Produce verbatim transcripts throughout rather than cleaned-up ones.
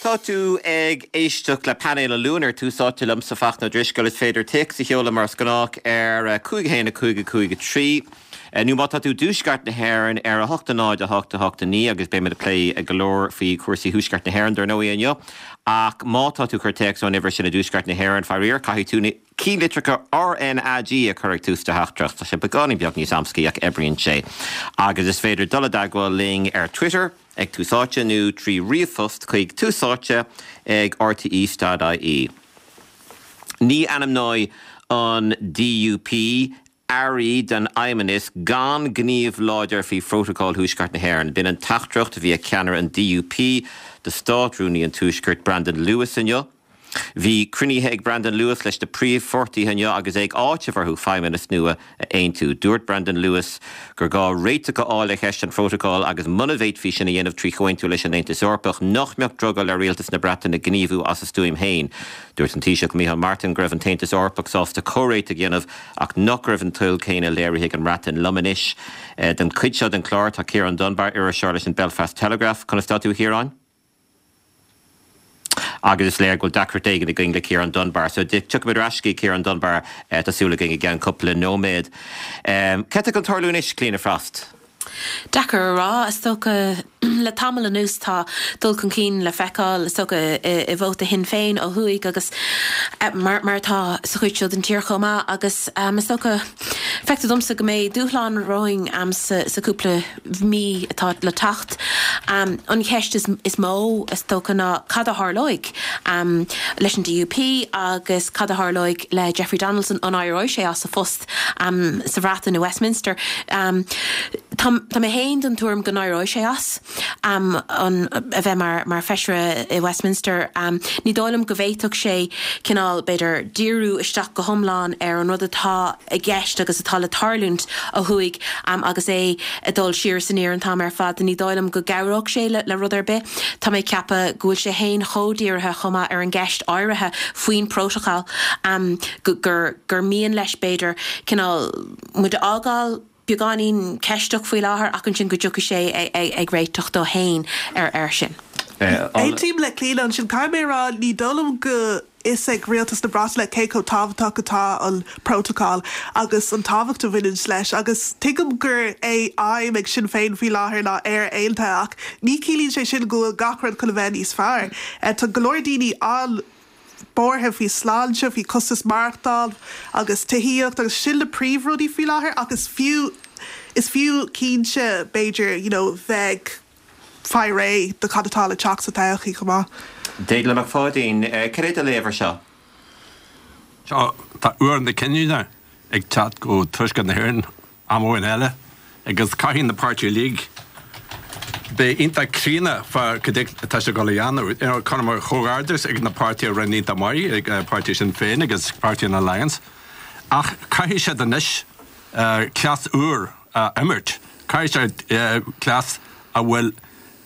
Tá tú ag éisteacht le painéal an Luain ar Tús Áite liomsa Fachtna Ó Drisceoil is féidir téacs a sheoladh mar is gnách ar cúig haon a cúig a cúig a trí. Nó má tá tú i dtuaisceart na hÉireann ar a hocht a náid a hocht a hocht a naoi agus beimid ag plé go leor faoi chúrsaí thuaisceart na hÉireann dar ndóigh inniu. Ach má tá tú ag cur téacs ón uimhir sin i dtuaisceart na hÉireann faraor caithfidh tú na ceannlitreacha RnaG a chur ag tús do theachtaireacht Tá sé beagáinín beag níos amscaí ach oibríonn sé. Agus is féidir dul i dteagmháil linn ar Twitter ag Tús Áite nó trí ríomhphost chuig túsáite ag rte.ie. Ní ainmneoidh an DUP airí den fheidhmeannas gan gníomh láidir faoi Phrótacal Thuaisceart na hÉireann. B'in an teachtaireacht a bhí ag ceannaire an DUP do Státrúnaí an Tuaiscirt Brandon Lewis inniu. Bhí cruinnithe ag Brandon Lewis leis na príomhpháirtithe inniu agus é ag áiteamh orthu feidhmeannas nua a aontú. Dúirt Brandon Lewis gur gá réiteach a fháil ar cheist an phrótacail agus muna bhféadfaí sin a dhéanamh trí chomhaontú leis an Aontas Eorpach nach mbeadh drogall ar rialtas na Breataine gníomhú as a stuaim féin. Dúirt an Taoiseach Micheál Martin go raibh an tAontas Eorpach sásta comhréiteach a dhéanamh ach nach raibh an toil céanna léirithe ag an mBreatain liom anois. Den chuid seo den chlár tá Ciarán Dunbar iriseoir leis an Belfast Telegraph conas tá tú a Chiaráin? agus is léir go bhfuil deacracht éigin againn le Ciarán Dunbar, so tiocfaimid ar ais go Ciarán Dunbar tá súil againn i gceann cúpla nóiméad. Cad tá chun tarlú anois Clíona Frost. Deacair a rá is dócha le tamall anuas tá dul chun cinn le feiceáil is dócha i vóta Shinn Féin ó thuaidh agus mar mar atá sa chuid seo den tír chomh maith agus um, is dócha feictear domsa go mbeidh dúshlán romhainn um, sa, sa cúpla mí atá le teacht. Um, an cheist is, is mó is dócha ná cad a tharlóidh um, leis an DUP agus cad a tharlóidh le Jeffrey Donaldson an éireoidh sé as a phost um, sa Bhreatain i Westminster. Um, Tá tá mé féin den tuairim go n-éireoidh sé as um, an, a bheith mar, mar feisire i Westminster. Um, ní dóigh liom go bhféadfadh sé cineál b'fhéidir díriú isteach go hiomlán ar an rud atá i gceist agus atá le tarlúint ó thuaidh um, agus é ag dul siar san ar an t-am ar fad ní dóigh liom go gcabhródh sé le, le rud ar bith. Tá mé ag ceapadh go bhfuil sé féin chomh dírithe chomh maith ar an gceist áirithe faoin prótacal um, gur, gur, gur mian leis b'fhéidir cineál muid a fhágáil beagáinín ceisteach faoi láthair ach ansin go dtiocfaidh sé ag réiteach dó féin ar ar sin. Aontaím le Clíona ansin caithfidh mé rá ní dóigh liom go is ag rialtas na Breataine cé chomh tábhachtach atá an prótacal agus an tábhacht a bhaineann leis agus tuigim gur é aidhm ag Sinn Féin faoi láthair ná Éire aontaithe ach ní chiallaíonn sé sin go bhfuil gach rud chun a bheith níos fearr. Tá go leor daoine an buartha faoi sláinte faoi costas maireachtáil agus tithíocht agus sin na príomhrudaí faoi láthair agus fiú is fiú cinnte b'fhéidir you know, bheith fáil réidh do cad atá le teacht sa todhchaí chomh maith. Déaglán Mac Pháidín, cad é do léamh air seo? Seo tá uair na cinniúna ag teacht go tuaisceart na hÉireann am amháin eile agus caithfidh na páirtithe uilig bheith iontach críonna fá cad atá sé ag dul a dhéanamh. Chun mar chomhghairdeas ag na páirtithe a rinne iontach maith ag páirtí Sinn Féin agus páirtí an Alliance. Ach caithfidh siad anois cleas úr a imirt. Caithfidh siad cleas a bhfuil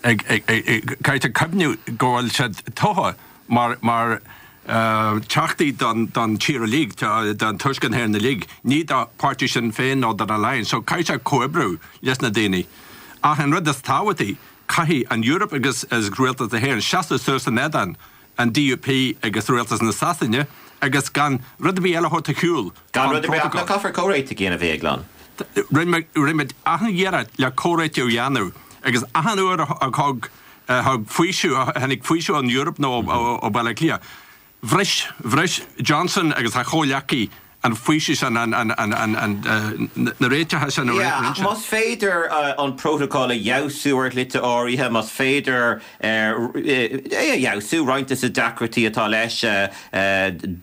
caithfidh cuimhneamh go bhfuil siad tofa mar mar teachtaí don don tír uilig don tuaisceart na hÉireann uilig, ní do páirtí Sinn Féin nó don Alliance, so caithfidh sé comhoibriú leis na daoine. Ach an rud is tábhachtaí caithfidh an Eoraip agus is rialtas na hÉireann seasamh suas in éadan an DUP agus rialtas na Sasana agus gan rud ar bith eile a thabhairt ar shiúl. Gan rud ar bith ach caithfear comhréiteach a dhéanamh a Dhéagláin. Rinne muid achan iarracht le comhréiteach a dhéanamh agus achan uair a thug thug faoiseamh tháinig faoiseamh ón Eoraip nó ó Bhaile Átha Cliath. Bhris bhris Johnson agus a chomhghleacaithe an faoiseamh sin an an an an an na réiteacha sin a Yeah, ach más féidir an prótacal a fheabhsú ar shlite áirithe, más féidir é a fheabhsú roinnt de na deacrachtaí atá leis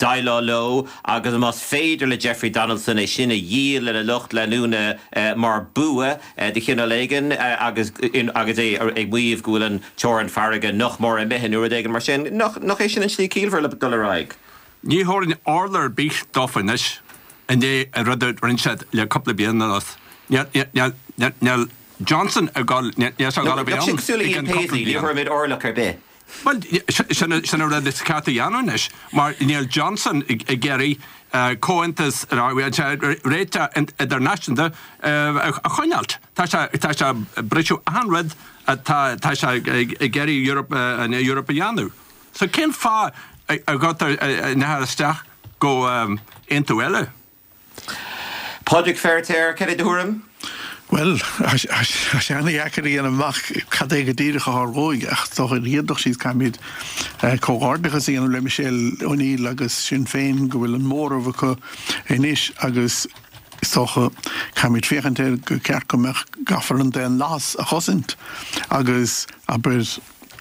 déileáil leo agus más féidir le Jeffrey Donaldson é sin a dhíol lena lucht leanúna mar bua de chineál éigin agus agus é ag maíomh go bhfuil an teorainn farraige nach mór imithe nó rud éigin mar sin, nach nach é sin an slí ciallmhar le dul ar aghaidh. Ní thabharfainn orla ar bith dófa anois i ndiaidh an rud a rinne siad le cúpla bliain anuas. Níl Johnson ag dul níl sé ag dul a bheith ann cosúil le Ian Paisley, ní thabharfaimid orlach ar bith. Well sin sin an rud is ceart a dhéanamh anois mar níl Johnson ag iarraidh comhaontas réiteach idirnáisiúnta a choinneáilt. Tá sé tá sé briseadh achan rud atá tá sé ag iarraidh Europe an Europe a dhéanamh. So cén fáth a gcuirtear nithe isteach go aontú eile? Pádraig Feiritéar, cad é do thuairim? Bhuel, tá sé an-dheacair a dhéanamh amach cad é go díreach a tharlóidh, ach is dócha ar an gcéad dul síos caithfimid comhghairdeachas a dhéanamh le Michelle O'Neill agus Sinn Féin go bhfuil an móramh acu anois agus is dócha caithfimid féachaint air gur ceart go mbeadh gcaithfear an daonlathas a chosaint agus abair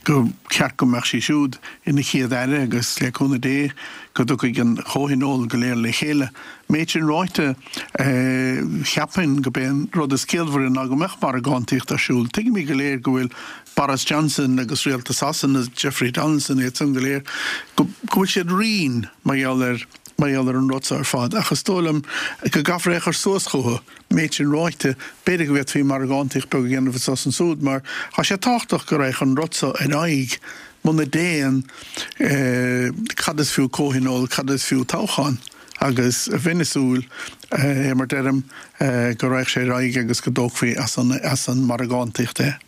go ceart go mbeadh sí siúd ina chéad aire agus le cúnamh Dé go dtiocfaidh an comhthionól go léir le chéile. Méid sin ráite, cheapfainn go b'é an rud is ciallmhaire ná go mbeadh margántaíocht ar siúl. Tuigimid go léir go bhfuil Boris Johnson agus Rialtas Shasana, Jeffrey Donaldson, iad san go léir, go bhfuil siad righin mar gheall ar mar gheall ar an rud seo ar fad. Ach is dóigh liom go gcaithfear é a chur suas chucu. Méid sin ráite, b'fhéidir go bhféadfaí margántaíocht beag a dhéanamh anso is ansúd mar tá sé tábhachtach go raghadh an rud seo ar aghaidh. Muna dtéann, cad is fiú comhthionól, cad is fiú toghchán? Agus bheinn ag súil, mar deirim, go raghadh sé ar aghaidh agus go dtógfaí as an as an margántaíocht é.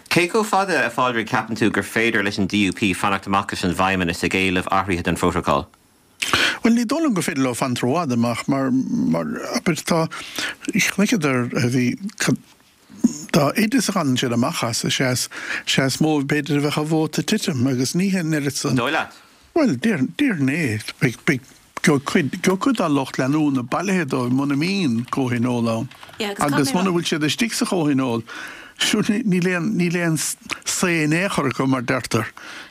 Cé chomh fada, a Phádraig, ceapann tú gur féidir leis an DUP fanacht amach as an bhFeidhmeannas ag éileamh athraithe don phrótacal? Bhuel, ní dóigh liom gur féidir leo fanacht rófhada amach mar, mar, abair, tá, chonaiceadar, bhí, dá fhaide is a fhanann siad amach as, is ea is, is ea is mó b'fhéidir a bheadh a vóta ag titim agus ní hé an oiread san. An dóigh leat? Bhuel, déarfainn, déarfainn é. Beidh, beidh, beidh cuid, beidh cuid dá lucht leanúna bailithe dóibh muna mbíonn comhthionól ann. Yeah, agus Agus caithfidh mé muna rá. bhfuil siad istigh sa chomhthionól, Siúd, níl aon, níl aon say in aon chor acu, mar deirtear.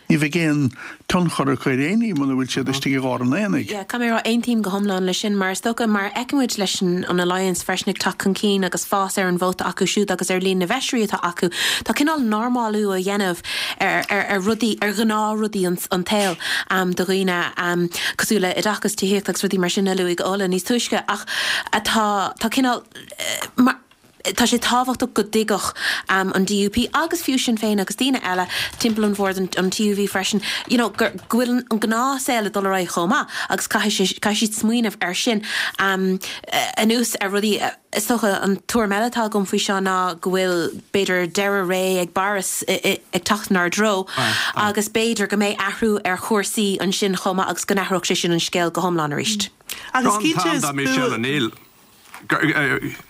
Ní bheidh aon tionchar acu ar aon ní muna bhfuil siad istigh i lár an aonaigh. Yeah, caithfidh mé a rá, aontaím go hiomlán leis sin, mar is dócha, mar a fheicimid leis an an Alliance freisin ag teacht chun cinn agus fás ar an vóta acu siúd agus ar líon na bhfeisirí atá acu, tá cineál normálú á dhéanamh ar, ar, ar rudaí, ar ghnáthrudaí an, an tsaoil do dhaoine cosúil le oideachas, tithíocht agus rudaí mar sin a luaigh Ola níos túisce ach atá, tá cineál, mar. Tá sé tábhachtach go dtuigfeadh an DUP agus fiú Sinn Féin agus daoine eile timpeall an bhoird, an TUV freisin, you know, go bhfuil an gnáthshaol ag dul ar aghaidh chomh maith agus caithfidh sé, caithfidh siad smaoineamh air sin. Anuas ar rudaí, is dócha an tuairim eile atá agam faoi seo ná go bhfuil b'fhéidir deireadh ré ag Boris ag teacht inár dtreo agus b'fhéidir go mbeidh athrú ar chúrsaí ansin chomh maith agus go n-athródh sé sin an scéal go hiomlán arís. Agus cinnte is bua. Gabh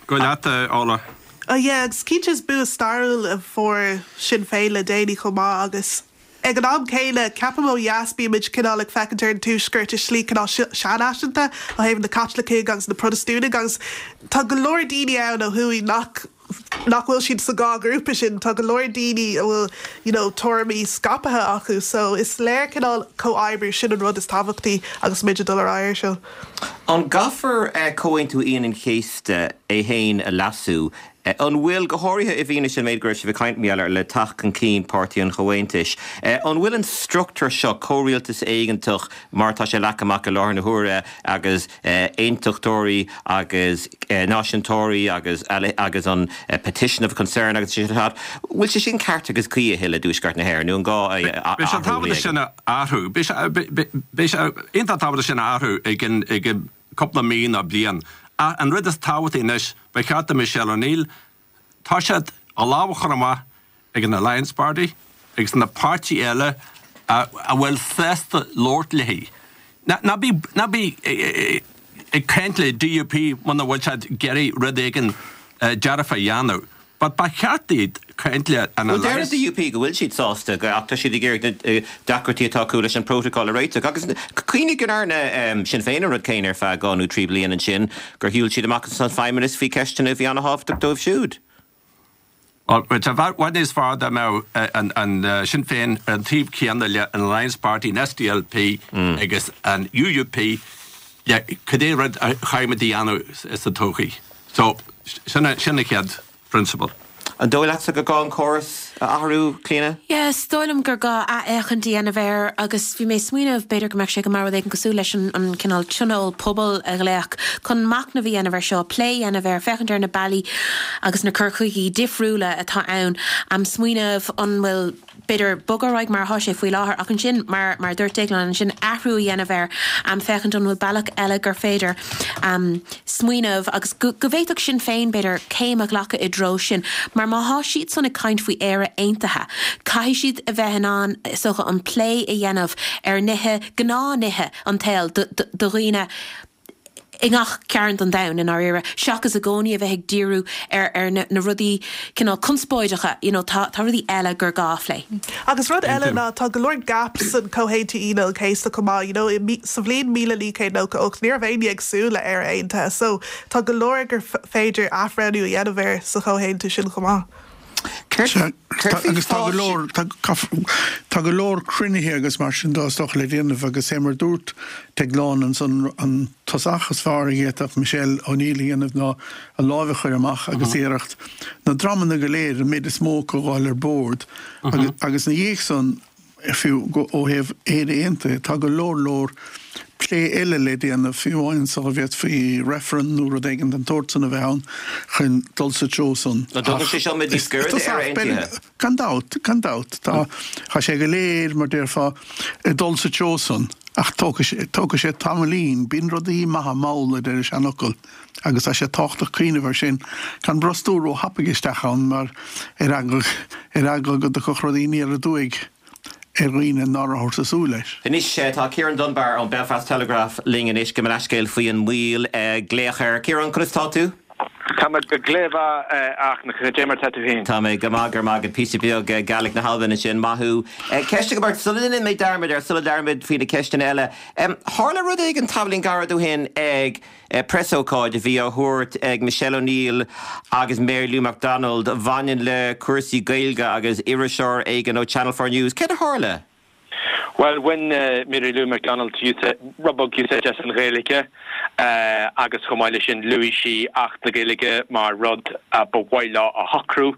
leat, a Ola. Oh yeah, agus cinnte is bua stairiúil a fuair Sinn Féin le déanaí chomh maith agus ag an am céanna ceapaim ó dheas bímid cineál ag féachaint ar an Tuaisceart i slí cineál seanfhaiseanta ó thaobh na Caitlicigh agus na Protastúnaigh agus tá go leor daoine ann ó thuaidh nach nach bhfuil siad sa dhá ghrúpa sin, tá go leor daoine a bhfuil you know tuairimí scaipthe acu so is léir cineál comhoibriú, sin an rud is tábhachtaí agus muid ag dul ar aghaidh air seo. An gcaithfear Comhaontú Aoine an Chéasta é féin a leasú? An bhfuil, go háirithe i bhfianaise an méid go raibh sibh ag caint mar gheall air le teacht chun cinn Páirtí an Chomhaontais, an bhfuil an struchtúr seo, comhrialtas éigeantach mar atá sé leagtha amach i láthair na huaire agus aontachtóirí agus náisiúntóirí agus agus an petition of concern agus sin ar fad, bhfuil sé sin ceart agus cuí a thuilleadh i dTuaisceart na hÉireann nó an gá é a Beidh sé athrú tábhachtach sin a athrú. Beidh sé beidh sé iontach tábhachtach sin a athrú i gcionn i gcionn cúpla mí nó bliain. Ach an rud is tábhachtaí anois, ba cheart do Michelle O'Neill toiseacht a lámh a chur amach ag an Alliance Party agus na páirtí eile a bhfuil sásta labhairt léi. Ná bí ná bí ag caint le DUP muna bhfuil siad ag iarraidh rud éigin dearfa a dhéanamh. But ba cheart iad caint le an Bhuel, deir an Alliance. DUP go bhfuil siad sásta ach tá siad ag iarraidh na deacrachtaí atá acu leis an bprótacal a réiteach. Agus cuimhnigh go ndearna Sinn Féin an rud céanna ar feadh dhá nó trí bliana ansin, gur shiúil siad amach as an Feidhmeannas faoi cheisteanna a bhí an-thábhachtach dóibh siúd. Bhuel, bheadh sé i bhfad níos fearr dá mbeadh an Sinn Féin ar an taobh céanna le an Alliance Party, an SDLP agus an UUP le cad é rud a chaithfimid a dhéanamh sa todhchaí. So, sin an chéad phrionsabal. An dóigh leatsa gur gá an córas a athrú, Clíona? Yeah, is dóigh liom gur gá athfhéachaint a dhéanamh air agus bhí mé ag smaoineamh b'fhéidir go mbeadh sé go maith rud éigin cosúil leis an an cineál tionól pobail a ghlaoch chun machnamh a dhéanamh air seo, plé a dhéanamh air, féachaint ar na bealaí agus na cur chuigí difriúla atá ann, smaoineamh an bhfuil b'fhéidir bogadh ar aghaidh mar atá sé faoi láthair ach ansin mar mar a dúirt Déaglán ansin athrú a dhéanamh air um, féachaint an bhfuil bealach eile gur féidir um, smaoineamh agus go, go bhféadfadh Sinn Féin b'fhéidir céim a ghlacadh i dtreo sin mar má tá siad san ag caint faoi Éire aontaithe caithfidh siad a bheith in ann socha an plé a dhéanamh ar nithe gnáthnithe an tsaoil do, do, do dhaoine i ngach cearn den domhan i ndáiríre, seachas i gcónaí a bheith ag díriú ar ar na, na rudaí cineál conspóideacha, you know, tá, tá rudaí eile gur gá phlé. Agus rud eile ná tá go leor gaps an Comhaontú Aoine an Chéasta chomh maith, you know, i mí- sa bhliain míle naoi gcéad nócha ocht ní raibh éinne ag súil le Éire aontaithe, so tá go leor gur f- féidir athbhreithniú a dhéanamh air sa chomhaontú sin chomh maith. Sea, tá- agus tá go leor tá tá go leor cruinnithe agus mar sin de is dócha le déanamh agus é mar dúirt Déaglán an an tosach is fearr a d'fhéadfadh Michelle O'Neill a dhéanamh ná a lámh a chur amach agus iarracht na dreamanna go léir an méid is mó acu a fháil ar bord agus agus na dhiaidh san fiú go ó thaobh Éire Aontaithe tá go leor leor plé eile le déanamh fiú amháin sula bhféadfaí referendum nó rud éigin den tsórt san a bheith ann chun dul sa treo san. Nó dtugann sé seo muid níos gaire d'Éire Aontaithe? Gan dabht, gan dabht tá tá sé go léir mar déarfá ag dul sa treo san ach tógfaidh sé tamaillín, bíonn rudaí maithe mall a deir an seanfhocal agus tá sé tábhachtach cuimhneamh air sin gan brostú róthapaidh isteach ann mar ar eagla ar eagla go dtiocfadh rudaí aniar aduaidh ar dhaoine nach rabhthas ag súil leis. Anois tá Ciarán Dunbar ón Belfast Telegraph linn anois go leithscéal faoi an mhoill glaoch air. Ciarán, conas tá tú? Tá mé go gléibh ach na dé mar tá tú féin. Tá mé go maith go maith píosa beag Gaeilge na hAlban sin maith thú. Ceist go sula ndéanfaidh mé dearmad ar sula dearmad faoi na ceisteanna eile. Tharla rud éigin tamaillín gairid ó shin ag preasócáid a bhí á thabhairt ag Michelle O'Neill agus Mary Lou McDonald a bhaineann le cúrsaí Gaeilge agus iriseoir éigin ó Channel four News. Céard a tharla? Well, when uh, Mary Lou McDonald rud beag úsáid as an Ghaeilge uh, agus chomh maith leis sin luaigh sí Acht na Gaeilge mar rud uh, ba mhaith leo a shocrú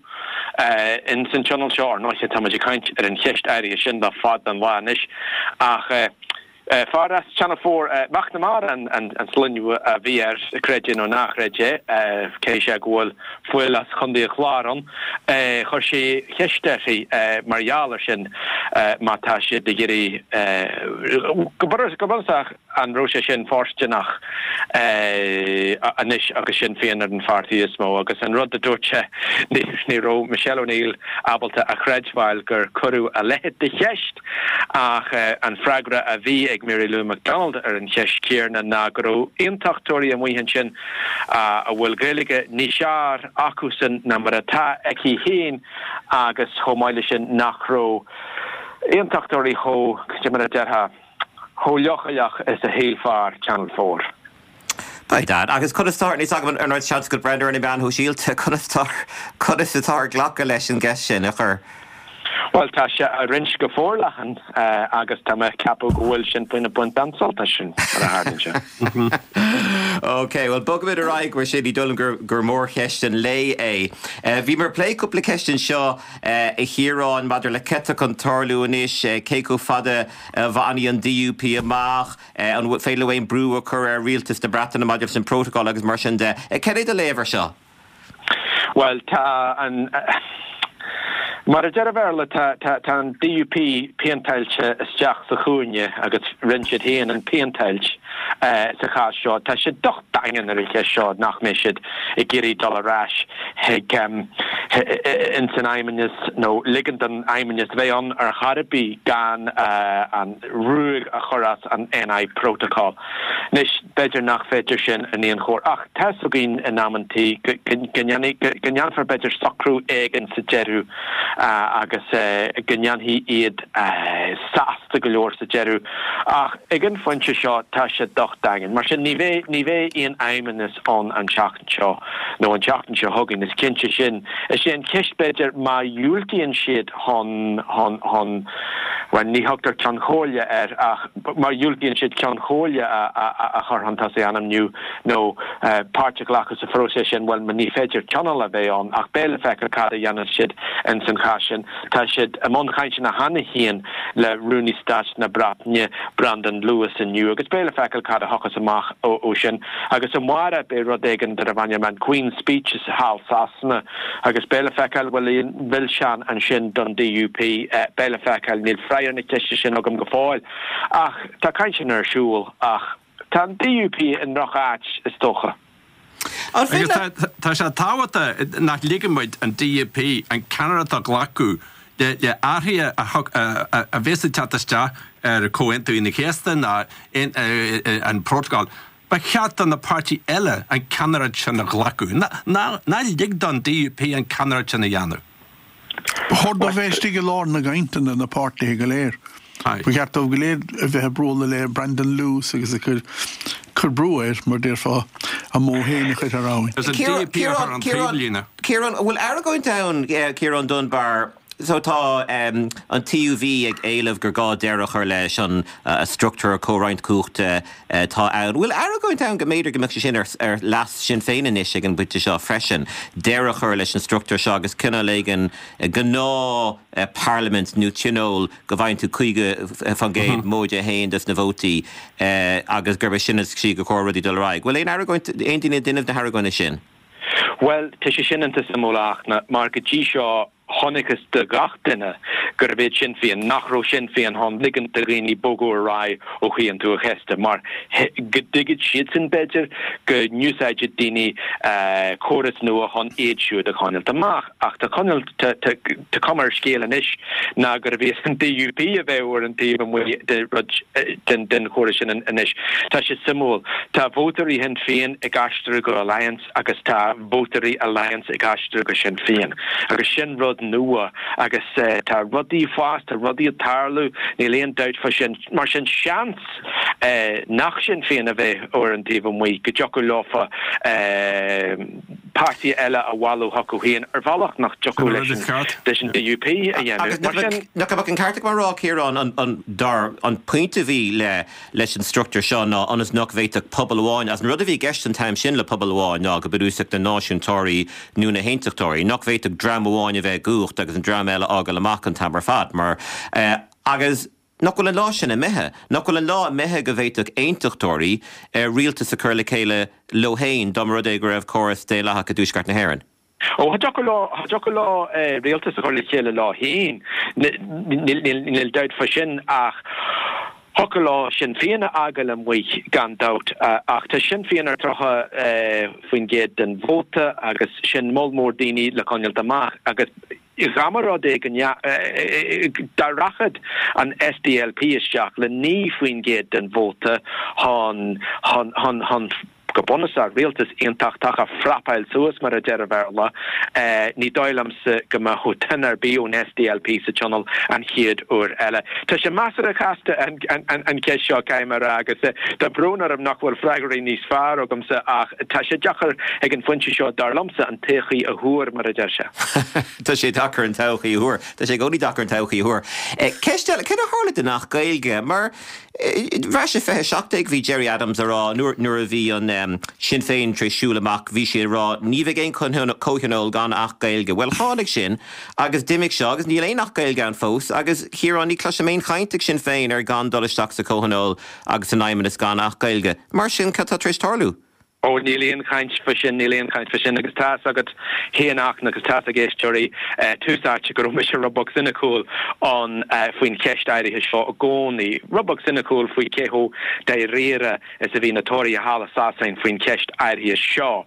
uh, in san tionól seo ar ndóigh tá ag caint ar an cheist áirithe sin le fada an lá anois ach uh, Uh, fear as Channel four uh, McNamara an, an, an sloinne a bhí air creid é nó ná creid é uh, cé sé go bhfuil fuil as Chontae an Chláir ann uh, chuir sé ceist uirthi uh, mar gheall air sin uh, má tá siad ag iarraidh uh, go bunúsach an raibh sé sin fóirsteanach uh, anois agus Sinn Féin ar an pháirtí is mó agus an rud a dúirt sé ní raibh Michelle O'Neill ábalta a chreidbheáil gur cuireadh a leithéid de cheist ach uh, an freagra a bhí ag Mary Lou McDonald ar an cheist chéanna ná go raibh aontachtóirí amuigh ansin a bhfuil Gaeilge níos fearr acusan ná mar atá aici féin agus chomh maith leis sin nach raibh aontachtóirí chomh mar a déarfá chomh leochaileach is a shíl fear Channel four. By dad agus conas tá níos agam an seans go breathnú ar na meáin shóisialta conas tá conas atá glacadh leis an gceist sin a chur. Well tá sé á roinnt go forleathan uh, agus tá mé ag ceapadh go bhfuil sin faoina baint an-sult as sin mar a tharlaíonn sé. Ok, well bogfaimid ar aghaidh mar sin ní dóigh liom gur gur mórcheist an lae é. Uh, bhí mar plé cúpla ceist anseo uh, a Chiaráin maidir le cad atá chun tarlú anois uh, cé chomh fada uh, bhfanfaidh an D U P amach uh, an féidir aon brú a chur ar rialtas na Breataine maidir leis an protocol agus mar sin de. Uh, Cé do léamh air seo? Well tá an uh, Mar a deir an Béarla tá tá an D U P péinteáilte isteach sa chúinne agus rinne siad féin an phéinteáil uh, sa chás seo. Tá sé docht daingean ar an cheist seo nach mbeidh siad ag iarraidh dul ar ais chuig um, in san fheidhmeannas nó ligean don fheidhmeannas bheith ann ar chor ar bith gan uh, an ruaig a chur as an N I protocol. Anois b'fhéidir nach féidir sin in aon chor ach tá a fhios againn in amantaí go ndéanfar b'fhéidir socrú éigin sa deireadh uh, agus uh, go ndéanfaidh iad uh, sásta go leor sa deireadh ach ag an phointe seo tá sé docht daingean. Mar sin ní bheidh ní bheidh aon fheidhmeannas ann an tseachtain seo nó an tseachtain seo chugainn is cinnte sin. Is sé an cheist b'fhéidir má dhiúltaíonn siad chun chun chun Bhuel, ní thugtar Ceann Comhairle air ach má dhiúltaíonn siad Ceann Comhairle a chur chun tosaigh, ainmniú nó páirt a ghlacadh sa phróiseas sin, bhuel, ní féidir tionól a bheith ann ach beidh le feiceáil cad a dhéanann siad ins an chás sin. Tá siad i mbun cainteanna cheana féin le Rúnaí Stáit na Breataine, Brandon Lewis inniu agus beidh le feiceáil cad a thiocfas amach ó sin. Agus amárach beidh rud éigin darbh ainm an Queen's Speech thall Sasana agus beidh le feiceáil bhfuil aon mhilseán ansin don DUP. Beidh le feiceáil, níl freagra ar na ceiste sin agam go fóill. Ach tá cainteanna ar siúl ach tá an DUP i ndroch-áit is dócha. Agus tá sé tábhachtach nach ligeann muid an DUP an ceannaireacht a ghlacadh le athruithe a bheas ag teacht isteach ar Chomhaontú Aoine an Chéasta ná an Prótacal. Ba cheart do na páirtí eile an ceannaireacht sin a ghlacadh. Ná lig don DUP an ceannaireacht sin a dhéanamh. Ba chóir dóibh bheith istigh i lár na gcainteanna, na páirtithe go léir. Ba cheart dóibh go léir a bheith ag bualadh le Brandon Lewis agus ag cur cur brú air, mar déarfá, a modh féin a chur thar abhainn. Is an DUP a chur an taobhlíne. Ciarán, an bhfuil argóint ann, Ciarán Dunbar, so tá an TUV ag éileamh gur gá deireadh a chur leis an struchtúr comhroinnt cumhachta atá ann. Bhfuil argóint ann go mb'fhéidir go mbeadh sé sin ar leas Sinn Féin anois ag an bpointe seo freisin, deireadh a chur leis an struchtúr seo agus cineál éigin gnáth parlaimint nó tionól go bhfaigheann tú caoga faoin gcéad móide a haon des na vótaí agus gurb é sin is sí gur chóir rudaí dul ar aghaidh. Bhfuil aon argóint, aon duine ag déanamh na hargóna sin? Bhuel, tá sé sin iontach suimiúil a Fhachtna, mar go dtí seo chonacthas do gach duine gurbh iad Sinn Féin, nach raibh Sinn Féin chun ligint do dhaoine bogadh ar aghaidh ó Chomhaontú an Chéasta, mar go dtuigfeadh siadsan, b'fhéidir, go n-úsáidfeadh daoine córas nua chun iad siúd a choinneáilt amach. Ach tá coinneáil, tá cuma ar an scéal anois ná gurbh iad an DUP a bheadh ar an taobh amuigh de rud, den den chóras sin anois. Tá sé suimiúil. Tá vótóirí Shinn Féin ag aistriú go Alliance agus tá vótóirí Alliance ag aistriú go Sinn Féin. Agus sin rud nua agus tá rudaí ag fás, tá rudaí ag tarlú, níl aon dabht fá sin. Mar sin seans nach Sinn Féin a bheidh ar an taobh amuigh, go dtiocfadh leofa páirtí eile a bhailiú chucu féin ar bhealach nach dtiocfadh leis an DUP a dhéanamh. Mar sin. Nach mbeadh an ceart agam a rá, Ciarán, an dar an pointe a bhí le leis an struchtúr seo ná ionas nach bhféadfadh pobal amháin, as an rud a bhí i gceist an t-am sin le pobal amháin ná go bunúsach na náisiúntóirí nó na haontachtóirí, nach bhféadfadh dream amháin a bheith i gcumhacht agus an dream eile á fhágáil amach an t-am ar fad mar agus nach bhfuil an lá sin imithe, nach bhfuil an lá imithe go bhféadfadh aontachtóirí rialtas a chur le chéile leo féin dá mba rud é go raibh córas daonlathach i dTuaisceart na hÉireann. Ó, cha dtiocfadh leo, cha dtiocfadh leo rialtas a chur le chéile leo féin, níl dabht fá sin ach thiocfadh leo Sinn Féin a fhágáil amuigh gan dabht ach tá Sinn Féin ar tríocha faoin gcéad den vóta agus sin moll mór daoine le coinneáilt amach agus dá mba rud é go dá rachadh an SDLP isteach le naoi faoin gcéad den vóta chun chun chun chun go bunúsach, rialtas aontachtach a phrapáil suas, mar a deir an Béarla. Ní dóigh liomsa go mbeadh duine ar bith ón SDLP sa Tionól an chéad uair eile. Tá sé measartha casta an cheist seo, caithfidh mé a rá, agus tá brón orm nach bhfuil freagraí níos fearr agamsa ach tá sé deacair ag an phointe seo, dar liomsa, an todhchaí a thuar, mar a deir sé. Tá sé deacair an todhchaí a thuar. Tá sé i gcónaí deacair an todhchaí a thuar. Ceist eile, céard a tharla don Acht Gaeilge? Mar Ar ais i fiche a seacht déag bhí Gerry Adams a rá nuair nuair a bhí an Sinn Féin tar éis siúl amach bhí sé ag rá ní bheidh aon comhthionól gan Acht Gaeilge. Bhuel tháinig sin agus d'imigh seo agus níl aon Acht Gaeilge ann fós agus Chiaráin ní chloisim aon chaint ag Sinn Féin ar gan dul isteach sa comhthionól agus san Fheidhmeannas gan Acht Gaeilge. Mar sin cad tá tar éis tarlú? Ó, níl aon chaint fá sin, níl aon chaint fá sin agus tá's agat féin a Fhachtna agus tá's ag éisteoirí Tús Áite go raibh mise rud beag soiniciúil ann faoin cheist áirithe seo i gcónaí. Rud beag soiniciúil faoi cé chomh dáiríre is a bhí na Tóraithe thall i Sasain faoin cheist áirithe seo.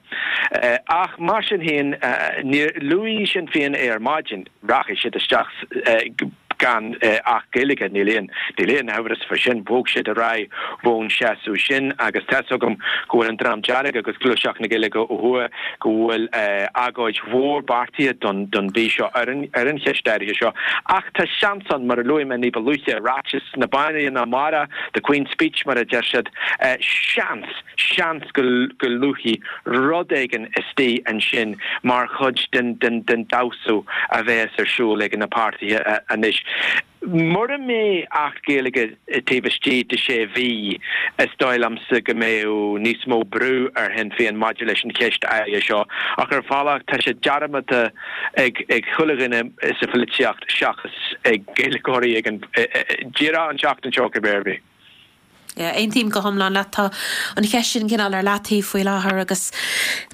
Ach mar sin féin, níor luaigh Sinn Féin é ar maidin. Rachaidh siad isteach gan Acht Gaeilge, níl aon níl aon amhras fá sin. Bhog siad ar aghaidh ón seasamh sin agus tá's agam go bhfuil an Dream Dearg agus Gluaiseacht na Gaeilge ó thuaidh go bhfuil agóid mhór beartaithe don don mhí seo ar an ar an cheist áirithe seo. Ach tá seans ann, mar a luaigh mé ní ba luaithe, ráiteas na Banríona amárach, the Queen's Speech mar a deir siad, seans, seans go go luafaí rud éigin istigh ansin mar chuid den den den damhsa a bheas ar siúl ag na páirtithe anois. Mura mbeidh Acht Gaeilge taobh istigh de sé mhí, is dóigh liomsa go mbeidh níos mó brú ar Shinn Féin maidir leis an cheist áirithe seo. Ach ar bhealach, tá sé dearmadta ag chuile dhuine sa pholaitíocht seachas ag Gaeilgeoirí ag an díreach an tseachtain seo cibé ar bith. Yeah, aontaím go hiomlán leat. Tá an cheist sin cineál ar leataobh faoi láthair agus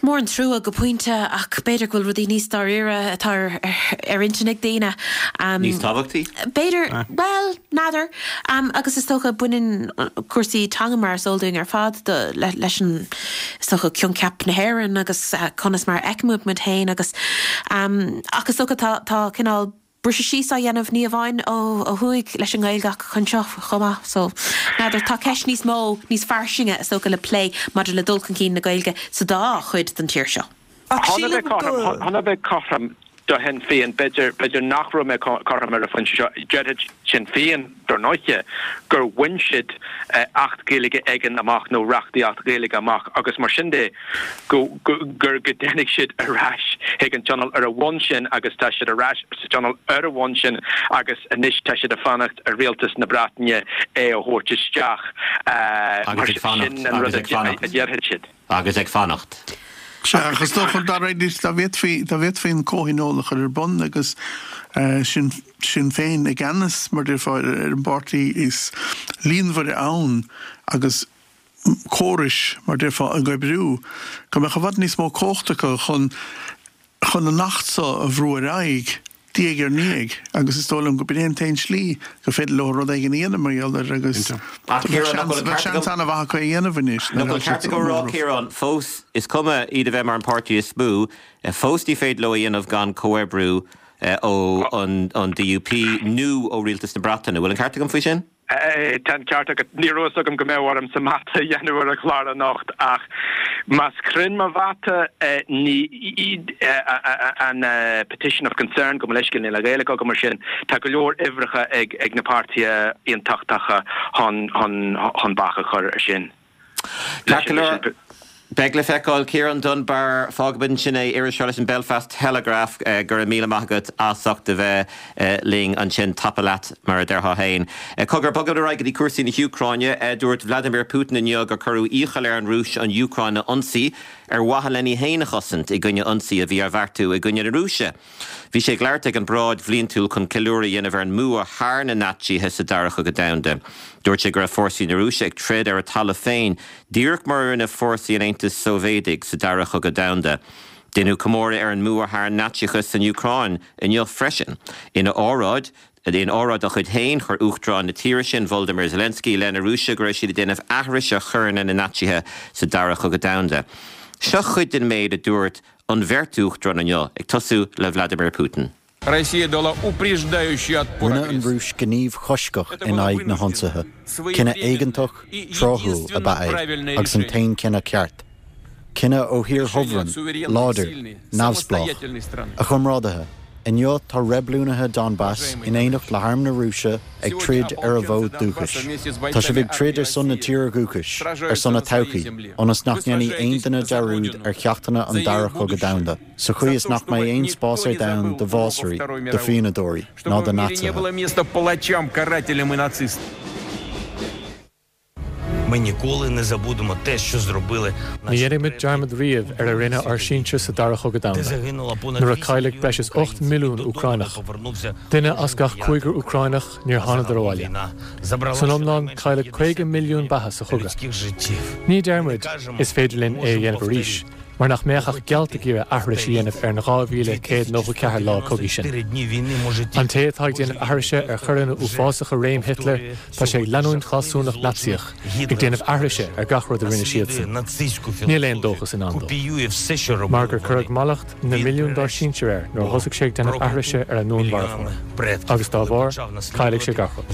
mór an trua go pointe ach b'fhéidir go bhfuil rudaí níos dáiríre atá ar, ar intinn ag daoine. Um, níos tábhachtaí? B'fhéidir, bhuel, n'fheadar. Um, agus is dócha baineann cúrsaí teanga mar is eol dúinn ar fad do, le, leis an is dócha coincheap na hÉireann agus uh, conas mar a fheicimid muid féin agus um, ach is dócha tá, tá cineál briseadh síos á dhéanamh ní amháin ó ó thuaidh leis an nGaeilge ach anseo chomh maith. So n'fheadar tá ceist níos mó, níos fairsinge is dócha le plé maidir le dul chun cinn na Gaeilge sa dá chuid den tír seo. Ach sílim go. Chun a bheith cothrom do Shinn Féin, b'fhéidir, b'fhéidir nach raibh mé cothrom ar an phointe seo, déarfaidh Sinn Féin, dar ndóiche, gur bhain siad Acht Gaeilge éigin amach nó reachtaíocht Ghaeilge amach agus mar sin de go, go, gur go dtáinig siad ar ais chuig an Tionól ar a bhonn sin agus tá siad ar ais sa Tionól ar a bhonn sin agus anois tá siad ag fanacht ar Rialtas na Breataine é a thabhairt isteach mar Agus ag fanacht, sin an agus rud ag fanacht. a déarfaidh siad. Agus ag fanacht. Sea, agus is dócha dá réir dá bhféadfaí dá bhféadfaí an comhthionól a chur ar bun agus Sinn Sinn Féin i gceannas mar déarfá ar an bpáirtí is líonmhaire ann agus córais, mar déarfá, ag oibriú, go mbeadh i bhfad níos mó cumhacht acu chun chun an Acht seo a bhrú ar aghaidh diaidh ar ndiaidh agus is dóigh liom go b'in é an t-aon slí gur féidir leo rud éigin a dhéanamh mar gheall air agus Ach bheadh Ciarán, nach seans bhfuil an bheadh ceart seans agam an-mhaith acu é a dhéanamh anois Nach nuair bhfuil atá ceart siad agam a rá móramh. Ciarán, fós is cuma iad a bheith mar an páirtí is mó, fós ní féidir leo a dhéanamh gan comhoibriú ó an an DUP nó ó Rialtas na Breataine. Bhfuil an ceart agam faoi sin? Tá an ceart agat. Ní raibh a fhios agam go mbeadh ormsa mata a dhéanamh ar an chlár anocht ach más cruinn mo mhata ní an petition of concern gabh mo leithscéal níl an Ghaeilge agam mar sin tá go leor uimhreacha ag na páirtithe aontachtacha chun bac a chur ar sin. Ceart go leor. Beidh le feiceáil. Ciarán Dunbar, Fágfaimid ansin é, iriseoir leis an Belfast Telegraph, go raibh míle maith agat as ucht a bheith linn ansin. Tapa leat, mar a déarfá féin. Cogar, bogfaimid ar aghaidh go dtí cúrsaí na hÚcráine. Dúirt Vladimir Putin inniu gur cuireadh iachall ar an Rúis an Úcráin a ionsaí ar mhaithe lena féin a chosaint i gcoinne ionsaí a bhí á bheartú i gcoinne na Rúise. Bhí sé ag labhairt ag an bparáid bhliantúil chun ceiliúradh a dhéanamh ar an mbua thar na Naitsithe sa Dara Cogadh Domhanda. Dúirt sé go raibh fórsaí na Rúise ag troid ar a talamh féin, díreach mar a rinne fórsaí an Aontais Sóivéadaigh sa Dara Cogadh Domhanda. Deineadh comóradh ar an mbua thar an Naitsíochas san Úcráin inniu freisin. Ina óráid, in óráid dá chuid féin, chuir Uachtarán na tíre sin, Volodymyr Zelensky, i leith na Rúise go raibh siad ag déanamh aithrise ar choireanna na Naitsithe sa Dara Cogadh Domhanda. Seo cuid den méid a dúirt an bheirt uachtarán inniu, ag tosú le Vladimir Putin. Rinne an Rúis gníomh coisctheach in aghaidh na hionsaithe. Cinneadh éigeantach, tráthúil ab ea é, agus an t-aon chinneadh ceart. Cinneadh ó thír shubhráin, láidir, neamhspleách. A chomrádaithe, inniu tá reibiliúnaithe Donbass in éineacht le harm na Rúise ag troid ar a bhfód dúchais. Tá sibh ag troid ar son na tíre dúchais, ar son a todhchaí, ionas nach ndéanfaidh aon duine dearúd ar cheachtanna an Dara Cogadh Domhanda. Sa chaoi is nach mbeidh aon spás ar domhan do bhásairí, do phianadóirí, ná do Naitsithe. Ní dhéanfaidh muid dearmad riamh ar a rinne ár sinsir sa Dara Chogadh Domhanda, nuair a cailleadh breis is ocht milliún Úcránach. Duine as gach cúigear Úcránach, níor thánadar abhaile. San iomlán, cailleadh caoga milliún beatha sa chogadh. Ní deir muid, 'Is féidir linn é a dhéanamh arís'. mar nach mbeadh ach gealt ag iarraidh aithris a dhéanamh ar an dhá mhíle céad nócha ceathair lá cogaidh sin. An té atá ag déanamh aithrise ar choireanna uafásacha réim Hitler, tá sé ag leanúint fealsúnacht Naitsíoch, ag déanamh aithrise ar gach rud a rinne siadsan. Níl aon dóchas i ndán dó. Mar gur cuireadh mallacht na milliún dár sinsir air nuair a thosaigh sé ag déanamh aithrise ar a ndúnmharfóir. Agus dá bharr, caillfidh sé gach rud.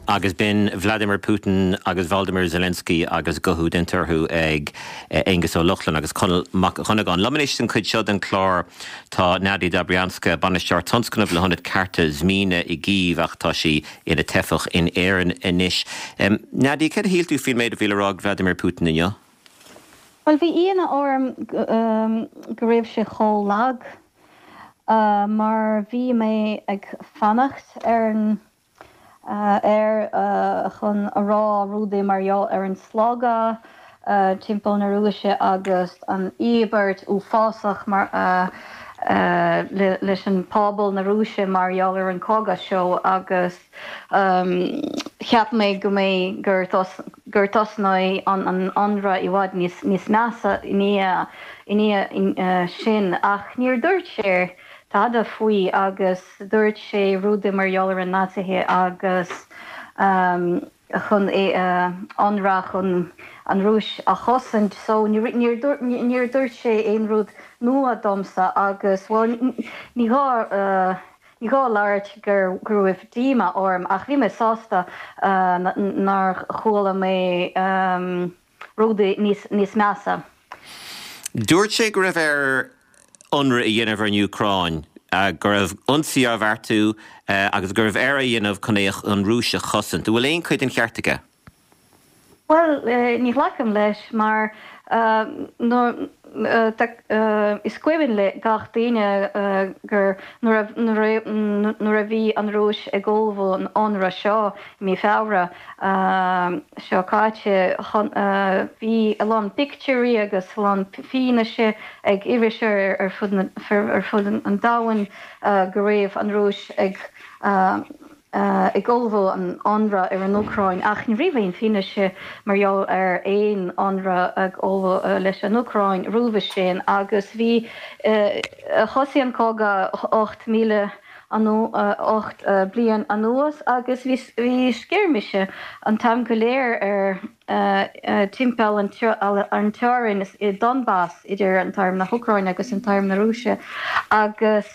Agus b'in Vladimir Putin agus Volodymyr Zelensky agus guthú déanta orthu ag Aengus Ó Lochlainn agus Conall Mac Dhonnagáin. Liom anois san chuid seo den chlár tá Nadia Dobrianska, Bainisteoir Tionscnaimh le hIonad Cearta Zmina i gCív ach tá sí ina teifeach in Éirinn anois. Nadia, céard a shíl tú faoin méid a bhí le rá ag Vladimir Putin inniu? Bhuel, bhí ionadh orm go raibh sé chomh lag. Mar bhí mé ag fanacht ar an air chun a rá rudaí mar gheall ar an slógadh timpeall na Rúise agus an íobairt uafásach mar leis an pobal na Rúise mar gheall ar an cogadh seo agus cheap mé go mbeidh gur gur tosnóidh an an ionradh i bhfad níos níos measa i ndiaidh i ndiaidh sin ach níor dúirt sé tada faoi agus dúirt sé rudaí mar gheall ar an Naitsithe agus chun ionradh chun an Rúis a chosaint so níor níor dúirt sé aon rud nua domsa agus bhuel ní gá ní gá labhairt gur go raibh díomá orm ach bhí mé sásta nár chuala mé rudaí níos níos measa. Dúirt sé go raibh air ionradh a dhéanamh ar an Úcráin, go raibh ionsaí á bheartú agus go raibh air a dhéanamh chun é an Rúis a chosaint. An bhfuil aon chuid den cheart aige? Bhuel, ní ghlacaim leis mar is cuimhin le gach duine gur nuair a bhí an Rúis ag ullmhú an ionradh seo i mí Feabhra seo caite, bhí a lán pictiúirí agus a lán fianaise ag iriseoirí ar fud an domhain go raibh an Rúis ag ag ullmhú an ionradh ar an Úcráin ach ní raibh aon fianaise mar gheall ar aon ionradh ag ullmhú leis an Úcráin roimhe sin agus bhí thosaigh an cogadh ocht míle ocht bliain anuas agus bhí scirmise an t-am go léir ar timpeall an teorainn i Donbas idir an t-arm na hÚcráine agus an t-arm na Rúise agus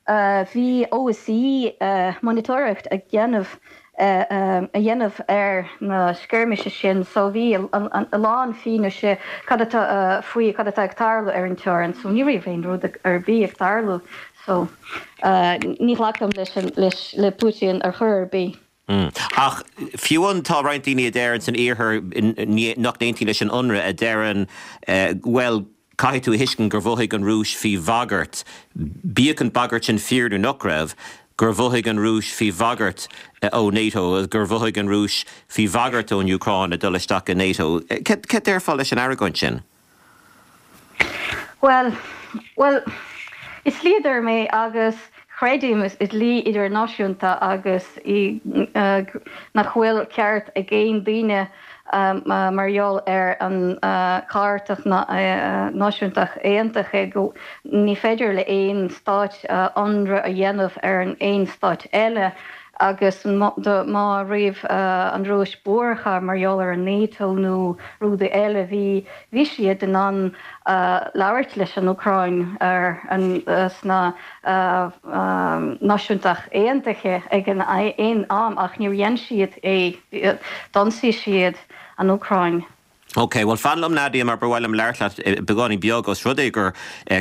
Bhí OSCE monatóireacht ag déanamh a dhéanamh ar na scirmise sin so bhí a lán fianaise cad atá faoi cad atá ag tarlú ar an teorainn so ní raibh aon rud ar bith ag tarlú so ní ghlacaim leis leis le Putin ar chor ar bith. Ach fiú amháin tá roinnt daoine a deireann san iarthar nach n-aontaíonn leis an ionradh a deireann bhuel Caithfidh tú a thuiscint gur mhothaigh an Rúis faoi bhagairt, bíodh an bhagairt sin fíor nó nach raibh, gur mhothaigh an Rúis faoi bhagairt ó NATO, gur mhothaigh an Rúis faoi bhagairt ón Úcráin a dul isteach i NATO. Cad déarfá leis an argóint sin? Bhuel, bhuel, is dlíodóir mé agus creidim i dlí idirnáisiúnta agus i nach bhfuil ceart ag aon duine mar gheall ar an Chairt Náisiúntach Aontaithe go ní féidir le aon stáit ionradh a dhéanamh ar an aon stáit eile agus má raibh an Rúis buartha mar gheall ar an NATO nó rudaí eile bhí bhí siad in ann labhairt leis an Úcráin ar an sna Náisiúntach Aontaithe ag an aon am ach níor dhein siad é, d'ionsaigh siad an Úcráin. Ok, bhuel fan liom Nadia mar ba mhaith liom labhairt leat beagáinín beag os rud é gur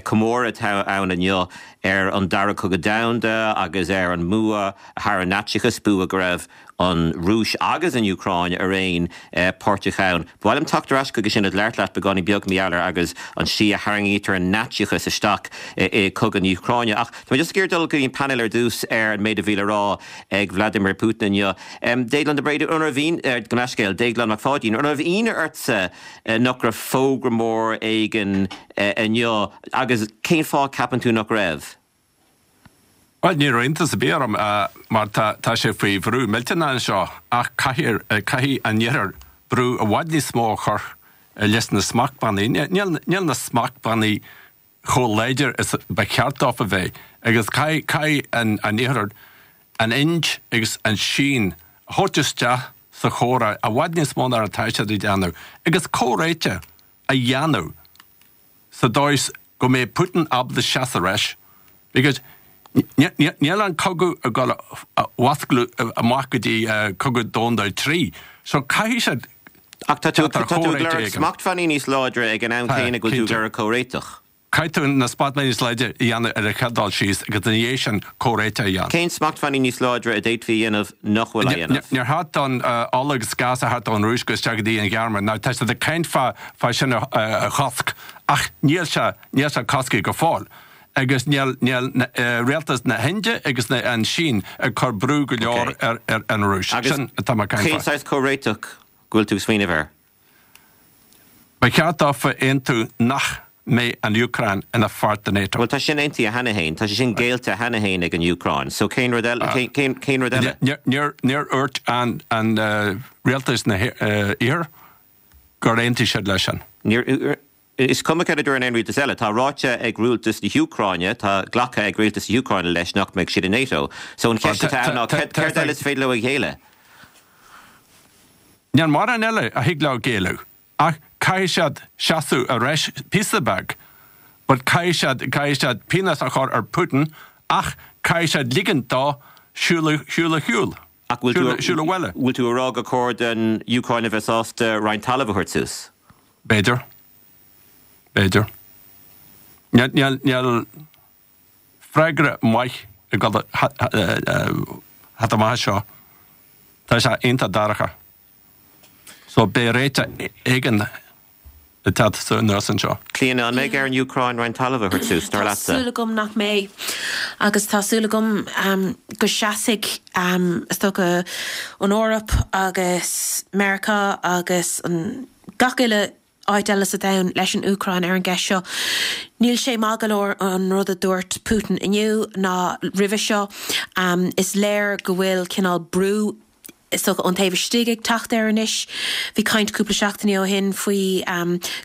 comóradh atá ann inniu ar an Dara Cogadh Domhanda agus ar an mbua thar an Naitsíochas, bua go raibh an Rúis agus an Úcráin araon páirteach ann. Ba mhaith liom teacht ar ais chuige sin ag labhairt leat beagáinín beag mí Eanáir agus an tslí a tharraingítear an Naitsíochas isteach i cogadh na hÚcráine. Ach tá mé just ag iarraidh dul go dtí an painéal ar dtús ar an méid a bhí le rá ag Vladimir Putin inniu. Déaglán de Bréide, an raibh ionadh, gabh mo leithscéal, Déaglán Mac Pháidín, an raibh ionadh ortsa nach raibh fógra mór éigin inniu agus cén fáth ceapann tú nach raibh? Bhuel, ní raibh iontas ar bith orm mar tá sé faoi bhrú millteanach anseo ach caithfidh caithfidh an Iarthar brú i bhfad níos mó a chur leis na smachtbhannaí. Níl na smachtbhannaí chomh láidir is ba cheart dóibh a bheith agus caithfidh caithfidh an an Iarthar an Ind agus an Sín a thabhairt isteach sa chomhrá i bhfad níos mó ná atá siad ag déanamh agus comhréiteach a dhéanamh sa dóigh is go mbeidh Putin ábalta seasamh ar ais because níl an cogadh ag dul a fhuasclú amach go dtí cogadh domhanda a trí so caithfidh siad Ach tá tú ag lorg smachtbhannaí níos láidre ag an am céanna go bhfuil tú ag lorg comhréiteach. Caithfidh tú na smachtbhannaí níos láidre a dhéanamh ar an chéad dul síos agus ina dhiaidh sin comhréiteach a dhéanamh. Cén smachtbhannaí níos láidre a d'fhéadfaí a dhéanamh nach bhfuil á dhéanamh? Níor cheart don ola agus gás a theacht ón Rúis go isteach go dtí an Ghearmáin. Now tá siad ag caint fá sin a chosc ach níl sé níl sé cosctha go fóill. agus níl níl rialtas na hIndia agus na an Sín ag cur brú go leor ar ar an Rúis. Sin atá mé ag caint Cén fá. saghas comhréiteach go bhfuil tú ag smaoineamh air? Ba cheart dófa aontú nach mbeidh an Úcráin ina pháirt de NATO. Bhuel tá sin aontaithe cheana féin, tá sé sin géillte cheana féin ag an Úcráin, so cén rud eile, cén, cén, cén rud eile? Níor níor níor dhúirt an an rialtas na hIarthair gur aontaigh siad leis sin. Níor, is cuma cad a dúirt aon rialtas eile, tá ráite ag rialtas na hÚcráine, tá glactha ag rialtas na hÚcráine leis nach mbeidh siad i NATO. So an cheist atá ann ná céard céard eile is féidir leo a ghéilleadh? Níl mórán eile a thig leo géilleadh, ach caithfidh siad seasamh ar ais píosa beag. But caithfidh siad, caithfidh siad pionós a chur ar Putin ach caithfidh siad ligint dó siúl siúl a shiúl. Ach bhfuil tú, Siúl abhaile. bhfuil tú a rá gur chóir don Úcráin a bheith sásta roinnt talaimh a thabhairt suas? B'fhéidir. B'fhéidir. Níl, níl, níl freagra maith ag dul thart amach seo. Tá sé iontach dorcha. So beidh réiteach éigin ag teacht anuas anseo. Clíona, an mbeidh ar an Úcráin roinnt talaimh a thabhairt suas, dar Tá leatsa? súil agam nach mbeidh agus tá súil agam go seasfaidh is dócha an Eoraip agus Meiriceá agus an gach uile áit eile sa domhan leis an Úcráin ar an gceist seo. Níl sé maith go leor an rud a dúirt Putin inniu ná roimhe seo. Is léir go bhfuil cineál brú is dócha ón taobh istigh ag teacht air anois. Bhí caint cúpla seachtainí ó shin faoi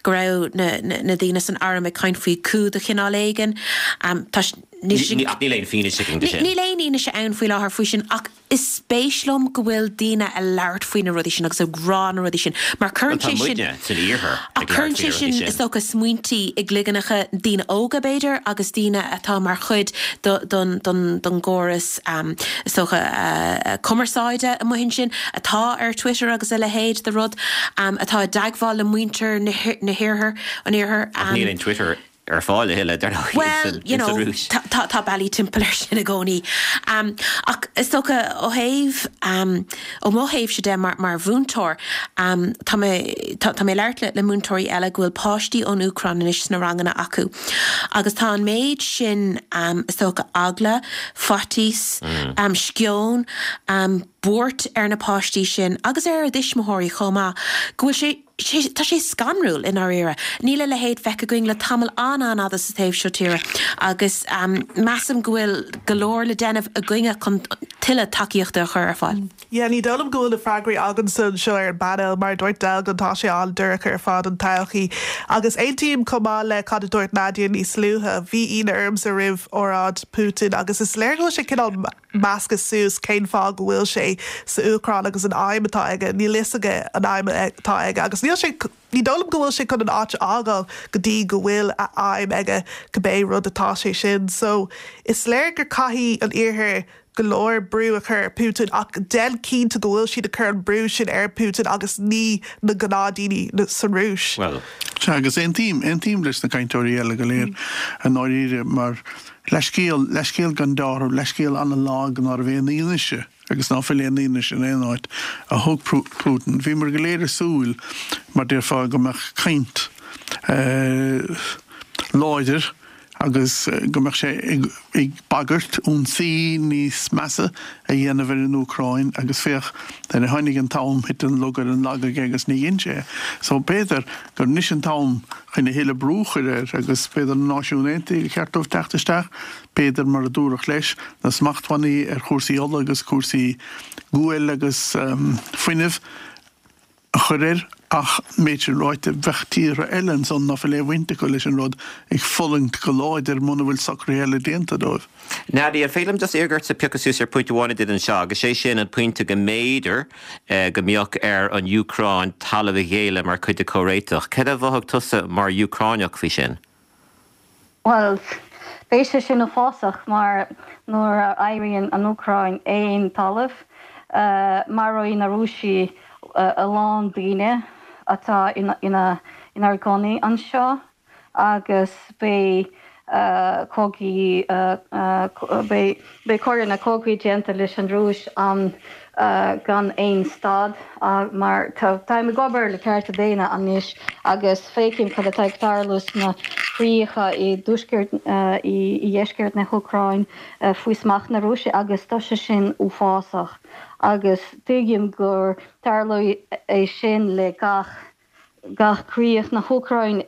go raibh na na daoine san arm ag caint faoi coup de chineál éigin. Tá níl sin Ach níl aon fianaise againn de sin. Níl aon fhianaise ann faoi láthair faoi sin ach is spéis liom go bhfuil daoine ag labhairt faoi na rudaí sin agus ag rá na rudaí sin mar cuireann Tá sé sin muidne san iarthar ach ag labhairt cuireann faoi sé na rudaí sin sin. is dócha smaointí i gcloigne daoine óga b'fhéidir agus daoine atá mar chuid do, don, don, don gcóras um, is dócha uh, cumarsáide amuigh ansin atá ar Twitter agus a leithéid de rud um, atá i dteagmháil le muintir na hi- na hiarthar an iarthar. Ach níl aon Twitter ar fáil a thuilleadh dar ndóigh Well, you know, Rúis. tá tá tá bealaí timpeall ar sin i gcónaí. Um, ach is dócha ó thaobh um, ó mo thaobhsa de mar, mar mhúinteoir um, tá mé tá, tá mé labhairt le, le múinteoirí eile go bhfuil páistí ón Úcráin anois sna ranganna acu. Agus tá an méid sin um, is dócha eagla, faitíos, mm. um, sceon, um, buairt ar na páistí sin agus ar a dtuismitheoirí chomh maith go bhfuil sé sé tá sé scanrúil i ndáiríre. Níl a leithéid feicthe againn le tamall an-fhada sa taobh seo tíre agus um, measaim go bhfuil go leor le déanamh againne chun tuilleadh tacaíochta a chur ar fáil. Yeah, ní dóigh liom go bhfuil na freagraí againn anseo ar an bpainéal mar dúirt Del tá sé an-dorcha ar fad an todhchaí. Agus aontaím chomh maith le cad a dúirt Nadia níos luaithe, bhí ionadh ormsa roimh óráid Putin agus is léir go bhfuil sé cineál measctha suas cén fáth go bhfuil sé sa Úcráin agus an aidhm atá aige, níl a fhios aige an aidhm atá aige agus níl sé ní dóigh liom go bhfuil sé chun an áit a fhágáil go dtí go bhfuil a aidhm aige cibé rud atá sé sin. So is léir gur caithfidh an iarthar go leor brú a chur ar Putin ach déan cinnte go bhfuil siad ag cur an brú sin ar Putin agus ní na gnáthdaoine san Rúis. Well. Sea agus aontaím aontaím leis na cainteoirí eile go léir i ndáiríre mar leithscéal leithscéal gan dealramh leithscéal an-lag ná raibh aon fhianaise agus ná fuil aon fhianaise in aon áit a thug Putin. Bhí mar go léir ag súil mar déarfá go mbeadh caint uh, láidir agus go mbeadh sé ag, ag bagairt ionsaí níos measa a dhéanamh ar an Úcráin agus féach nuair a tháinig an t-am thit an lug ar an lag aige agus ní dhein sé. So b'fhéidir gur anois an t-am chun a thuilleadh brú a chur air agus b'fhéidir na Náisiúin Aontaithe gur cheart dóibh teacht isteach, b'fhéidir mar a dúradh leis na smachtbhannaí ar chúrsaí ola agus cúrsaí guail agus um, fuinnimh a chur air ach méid sin ráite bheadh tíortha eile ansan ná fuil aon bhaint acu leis an rud ag fulaingt go láidir muna bhfuil socruithe eile déanta dóibh. Nadia, féidir liom just iarraidh ort piocadh suas ar pointe amháin a did anseo, agus sé sin an pointe go mb'fhéidir eh, go mbeadh ar an Úcráin talamh a ghéilleadh mar chuid de chomhréiteach. Cad a mhothaigh tusa mar Úcráineach faoi sin? Well, beidh sé sin uafásach mar nuair a éiríonn an Úcráin aon talamh, uh, maróidh na Rúisigh uh, a lán daoine atá ina ina inár gcónaí anseo agus beidh uh, cogaí uh, uh, beidh coireanna cogaidh déanta leis an Rúis an gan aon stad mar táim ag obair le cearta daonna anois agus feicim cad atá ag tarlú sna críocha i dtuaisceart i dheisceart na hÚcráine faoi smacht na Rúise agus tá sé sin uafásach agus tuigim gur tarlóidh é sin le gach gach críoch na hÚcráine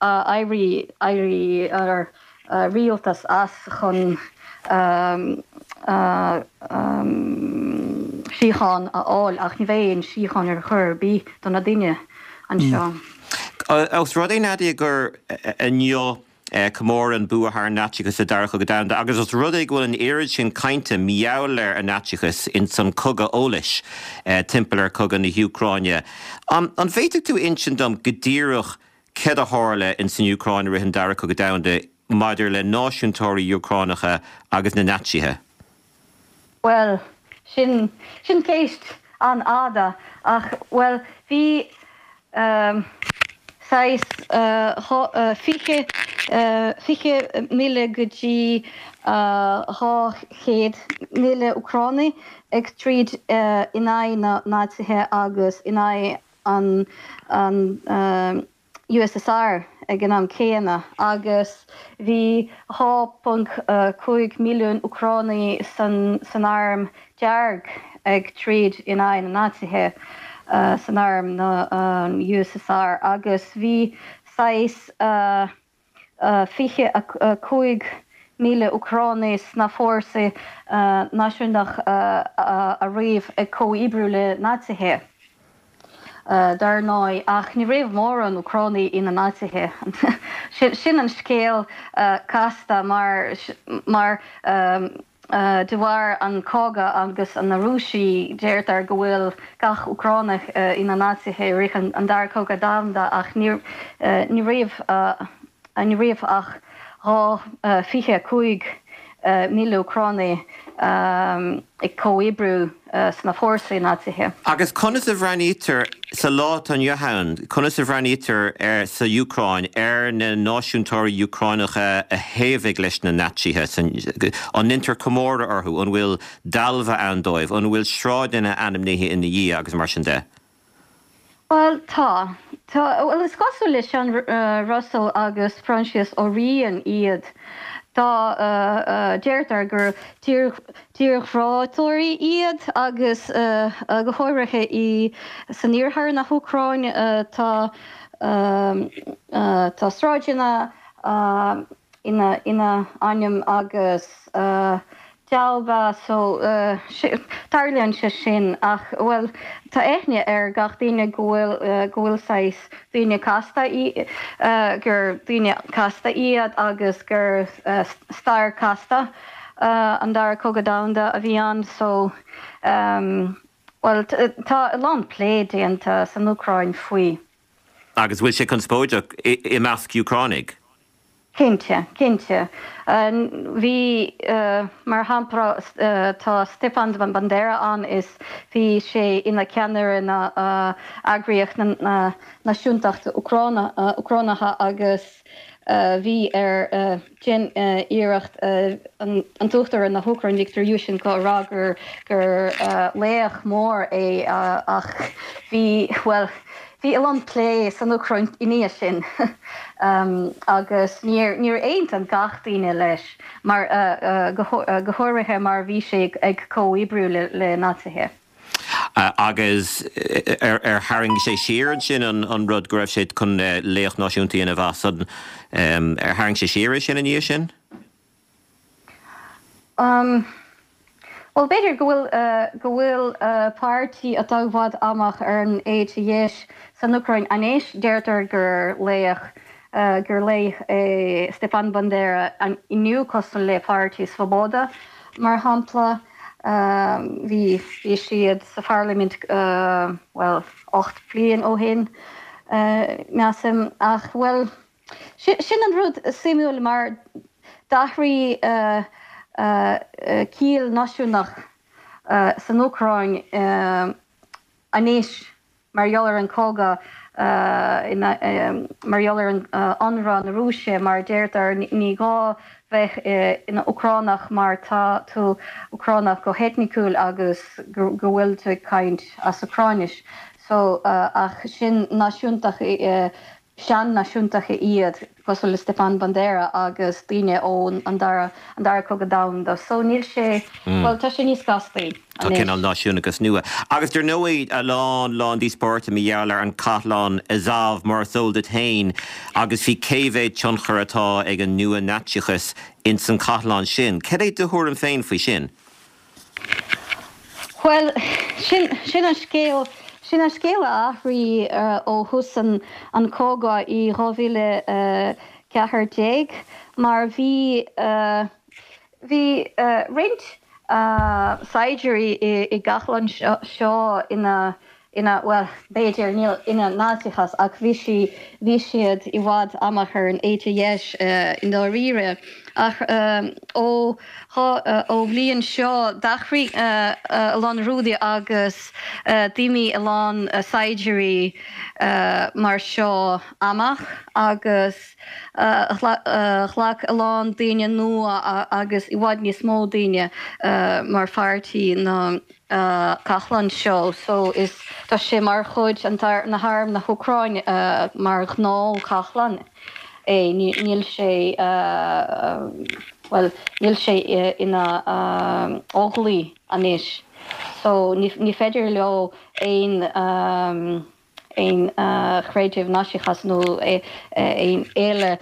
éirí éirí ar rialtas as chun síocháin a fháil ach ní bheidh aon síocháin ar chor ar bith do na daoine anseo. Ós rud é Nadia gur inniu comóradh an bua thar an Naitsíochas sa Dara Cogadh Domhanda agus os rud é go bhfuil an oiread sin cainte mar gheall ar an Naitsíochas ins an cogadh eolais timpeall ar cogadh na hÚcráine, an bhféadfadh tú insint dom go díreach céard a tharla ins an Úcráin i rith an Dara Cogadh Domhanda maidir le náisiúntóirí Úcránacha agus na Naitsithe? Bhuel, sin, sin ceist an-fhada ach, bhuel, bhí saghas fiche, fiche míle go dtí dhá chéad míle Úcránaigh ag troid in aghaidh na Naitsithe agus in aghaidh an, an USSR ag an am céanna agus bhí dhá ponc cúig milliún Úcránaigh san san Arm Dearg ag troid in aghaidh na Naitsithe san arm na USSR agus bhí saghas fiche a cúig míle Úcránaigh sna fórsaí náisiúnach a raibh ag comhoibriú le Naitsithe. Dar ndóigh, ach ní raibh mórán Úcránaigh ina Naitsithe. Sin an scéal casta mar mar de bharr an cogadh agus na Rúisigh deirtear go bhfuil gach Úcránach ina Naitsithe i rith an Dara Cogadh Domhanda ach ní raibh ní raibh ach dhá fiche cúig míle Úcránaigh ag comhoibriú sna fórsaí Naitsithe. Agus conas a bhreathnaítear sa lá atá inniu ann, conas a bhreathnaítear ar sa Úcráin ar na náisiúntóirí Úcránacha a thaobhaigh leis na Naitsithe? An ndéantar comóradh orthu? An bhfuil dealbha ann dóibh? An bhfuil sráideanna ainmnithe ina dhiaidh agus mar sin de? Bhuel, tá. Tá, bhuel, is cosúil le Seán Russell agus Proinsias Ó Riain iad. Tá, deirtear gur tírghrátóirí iad agus go háirithe i san iarthar na hÚcráine tá tá sráideanna ina ina ainm agus dealbha so tarlaíonn sé sin ach bhuel tá aithne ar gach duine go bhfuil go bhfuil saghas daoine casta gur daoine casta iad agus gur stair casta an dara cogadh domhanda a bhí ann so bhuel tá a lán plé déanta san Úcráin faoi. Agus bhfuil sé conspóideach i measc Úcránaigh? Cinnte, cinnte. Bhí, mar shampla, tá Stepan Bandera ann is bhí sé ina cheannaire na eagraíocht na náisiúntachta Úcránacha agus bhí ar déan iarracht an tUachtarán na hÚcráine Viktor Yushchenko a rá gur gur laoch mór é ach bhí, bhuel, Bhí a lán plé san Úcráin i ndiaidh sin agus níor aontaigh gach duine leis, mar go háirithe mar bhí sé ag comhoibriú le Naitsithe. Agus ar tharraing sé siar ansin an rud go raibh sé chun laoch náisiúnta a dhéanamh as, ar tharraing sé siar é sin i ndiaidh sin? Bhuel, b'fhéidir go bhfuil go bhfuil páirtí atá i bhfad amach ar an éite dheis san Úcráin anois. Deirtear gur laoch gur laoch é Stepan Bandera inniu cosúil le páirtí Svoboda, mar shampla. Bhí bhí siad sa pharlaimint bhuel ocht bliain ó shin, measaim. Ach bhuel, sin an rud suimiúil mar d'athraigh ciall náisiúnach san Úcráin anois mar gheall ar an cogadh mar gheall ar an ionradh na Rúise mar deirtear ní gá bheith ina Úcránach mar tá tú Úcránach go heitniciúil agus go bhfuil tú ag caint as Úcráinis. So ach sin náisiúntach sean-náisiúntach iad cosúil le Stepan Bandera agus daoine ón an dara an dara cogadh domhanda. So níl sé mm. well tá sé níos castaí. Tá cineál náisiúnachas nua. Agus dar ndóigh a lán lán díospóireachta mar gheall ar an cathlán Azov mar is eol duit féin agus faoi cé mhéad tionchar atá ag an nua-Naitsíochas ins an cathlán sin. Cad é do thuairim féin faoi sin? Well sin sin an scéal sin an scéal a athraigh ó thús an an cogadh i dhá mhíle ceathair déag mar bhí bhí roinnt saighdiúirí i gcathlán seo ina ina well b'fhéidir níl ina Naitsíochas ach bhí sí bhí siad i bhfad amach ar an éite dheis i ndáiríre ach ó ó bhliain seo d'athraigh a lán rudaí agus d'imigh a lán saighdiúirí mar seo amach agus ghlac a lán daoine nua agus i bhfad níos mó daoine mar pháirtí na cathlán seo so is tá sé mar chuid an na harm na hÚcráine mar ghnáth cathlán é níl sé well níl sé ina óglaigh anois so ní féidir leo aon aon chreideamh Naitsíochas nó aon eile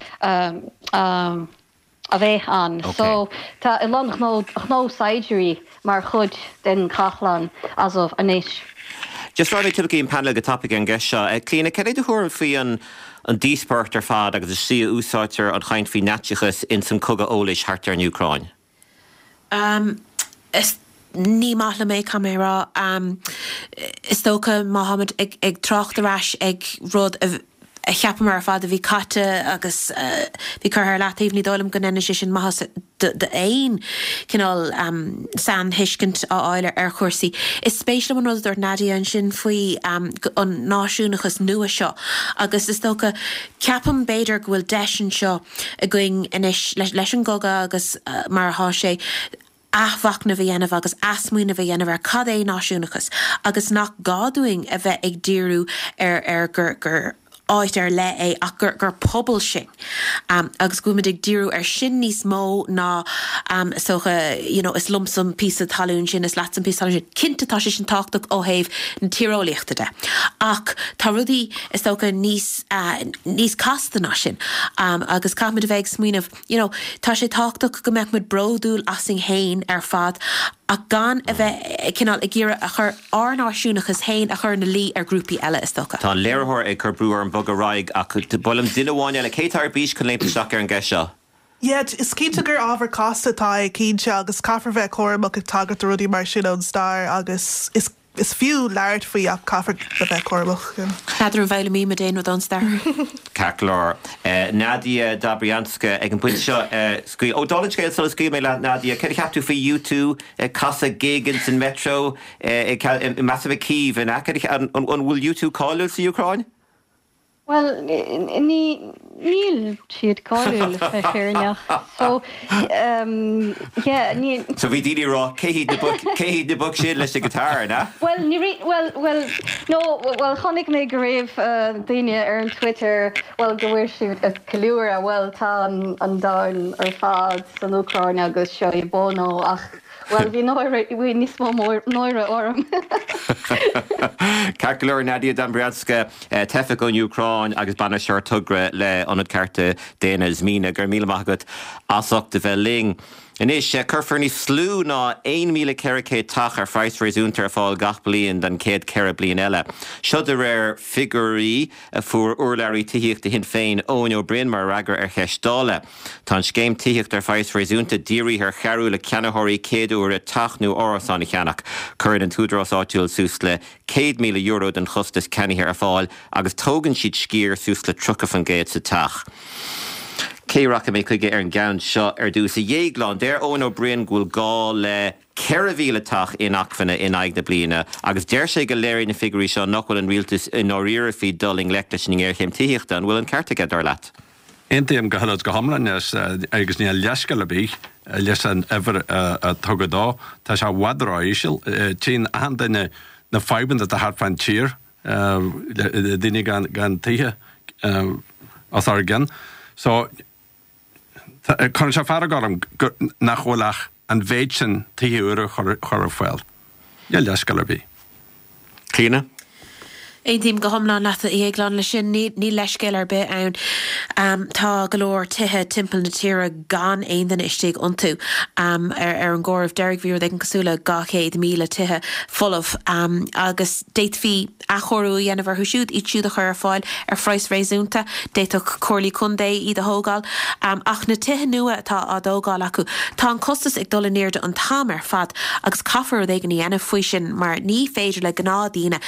a bheith ann. So tá a lán gnó saighdiúirí mar chuid den chathlán Azov anois. Just raghaidh mé timpeall an panel go tapaidh an gceist seo. Clíona, cad é do thuairim faoi an an díospóireacht ar fad agus an tslí a úsáidtear an chaint faoi Naitsíochas ins an cogadh eolais thart ar an Úcráin? Um, is ní maith liom é caithfidh mé a rá. Um, is dócha má tháimid ag, ag trácht ar ais ag rud a a cheapamar ar fad a bhí caite agus bhí curtha ar leataobh, ní dóigh liom go ndéanann sé sin maitheas d'aon cineál sainthuiscint a fháil ar chúrsaí. Is spéis liom an rud a dúirt Nadia ansin faoi an náisiúnachas nua seo agus is dócha, ceapaim b'fhéidir go bhfuil deis anseo againn anois leis an gcogadh agus mar atá sé, athmhachnamh a dhéanamh agus athsmaoineamh a dhéanamh ar cad é náisiúnachas agus nach gá dúinn a bheith ag díriú ar ar gur gur áit ar leith é ach gur gur pobal sinn agus go bhfuil muid ag díriú ar sin níos mó ná is dócha you know is liomsa an píosa talún sin is leatsa an píosa talún sin. Cinnte tá sé sin tábhachtach ó thaobh na tíreolaíochta de ach tá rudaí is dócha níos níos casta ná sin agus caithfimid a bheith ag smaoineamh you know tá sé tábhachtach go mbeadh muid bródúil asainn féin ar fad ach gan a bheith cineál ag iarraidh a chur ár náisiúnachas féin a chur ina luí ar ghrúpaí eile is dócha. Tá an léiritheoir ag cur brú orm bogadh ar aghaidh ach ba mhaith liom duine amháin eile, cé atá ar bís chun léimt isteach ar an gceist seo? Yeah, is cinnte gur ábhar casta atá é cinnte agus caithfear bheith cúramach ag tagairt do rudaí mar sin ón stair agus is Is fiú labhairt faoi ach caithfear a bheith cúramach. N'fheadar an bhfoghlaimímid aon rud ón stair. Ceart go leor. Nadia Dobrianska ag an bpointe seo scaoil. Ó, dála an scéil sula scaoil mé leat Nadia, céard a cheap tú faoi U two ag casadh gig ins an Metro i measaim i Kyiv, an ea? An bhfuil U two cáiliúil sa Úcráin? Bhuel, ní, níl siad cáiliúil, le bheith fírinneach. So, yeah, ní. So bhí daoine ag rá, cé hiad na boic, cé hiad na boic sin leis na guitar, an ea? Bhuel, ní ri, bhuel, bhuel, no, bhuel, chonaic mé go raibh daoine ar an Twitter, bhuel, go bhfuil siad ag ceiliúradh, bhuel, tá an, an domhan ar fad san Úcráin agus seo é Bono ach, Bhuel, bhí náire, bhí níos mó náire orm. Ceart go leor, Nadia Dobrianska, teifeach ón Úcráin agus bainisteoir togra le Ionad Cearta Daonna Zmina. Go raibh míle maith agat as ucht a bheith linn. Anois, cuirfear níos lú ná aon míle ceithre chéad teach ar phraghas réasúnta ar fáil gach bliain don chéad ceithre bliain eile. Seo de réir figiúirí a fuair urlabhraí tithíochta Shinn Féin, Eoin Ó Broin, mar fhreagra ar cheist Dála. Tá an scéim tithíochta ar phraghas réasúnta dírithe ar chabhrú le ceannaitheoirí céad uaire teach nó árasán a cheannach. Cuireann an t-údarás áitiúil suas le céad míle euro den chostas ceannaithe ar fáil agus tógann siad sciar suas le tríocha faoin gcéad sa teach. Cé rachaidh mé chuige ar an gceann seo ar dtús? A Dhéagláin, deir Eoin Ó Broin go bhfuil gá le ceithre mhíle teach inacmhainne in aghaidh na bliana agus deir sé go léiríonn na figiúirí seo nach bhfuil an rialtas i ndáiríre faoi dul i ngleic leis an ngéarchéim tithíochta. An bhfuil an ceart aige, dar leat? Aontaím go huile is go hiomlán leis agus níl leithscéal ar bith leis an uimhir a tugadh dó. Tá sé i bhfad ró-íseal. Tchíonn achan duine na fadhbanna atá thart fán tír, le daoine gan tithe os ár gcionn. So, cuireann sé fearg orm nach bhfuil ach an mhéid sin tithe úra chur ar fáil. Níl leithscéal ar bith. Clíona? Aontaím go hiomlán leat, a Dhéagláin, leis sin. Níl leithscéal ar bith ann. Tá go leor tithe timpeall na tíre gan aon duine istigh iontu. Ar an gcomhaireamh deiridh bhí rud éigin cosúil le dhá chéad míle tithe folamh agus d'fhéadfaí athchóiriú a dhéanamh orthu siúd, iad siúd a chur ar fáil ar phraghas réasúnta. D'fhéadfadh comhairlí contae iad a thógáil. Ach na tithe nua atá á dtógáil acu, tá an costas ag dul in airde an t-am ar fad agus caithfear rud éigin a dhéanamh faoi sin mar ní féidir le gnáthdhaoine,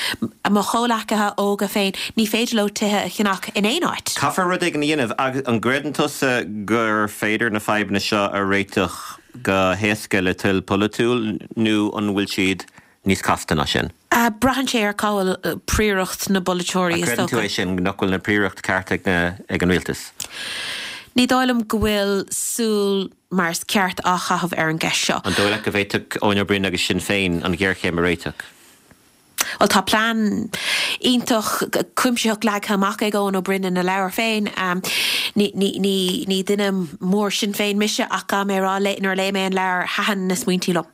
mo chomhleacaithe óga féin, ní féidir leo tithe a cheannach in aon áit. Caithfear rud éigin a dhéanamh. Agus an gcreideann tusa gur féidir na fadhbanna seo a réiteach go héasca le toil pholaitiúil nó an bhfuil siad níos casta ná sin? Braitheann sé ar cá bhfuil príoracht na bpolaiteoirí, is dócha. Creideann tú é sin, nach bhfuil na príoracht ceart ag na, ag an rialtas? Ní dóigh liom go bhfuil súil mar is ceart á chaitheamh ar an gceist seo. An dóigh leat go bhféadfadh Eoin Ó Broin agus Sinn Féin an ghéarchéim a réiteach? Bhuel, tá plean iontach cuimsitheach leagtha amach ag Eoin Ó Broin ina leabhar féin. Ní, ní, ní, ní duine mór Sinn Féin mise ach caithfidh mé a rá, nuair a léigh mé an leabhar, thaitin na smaointí liom.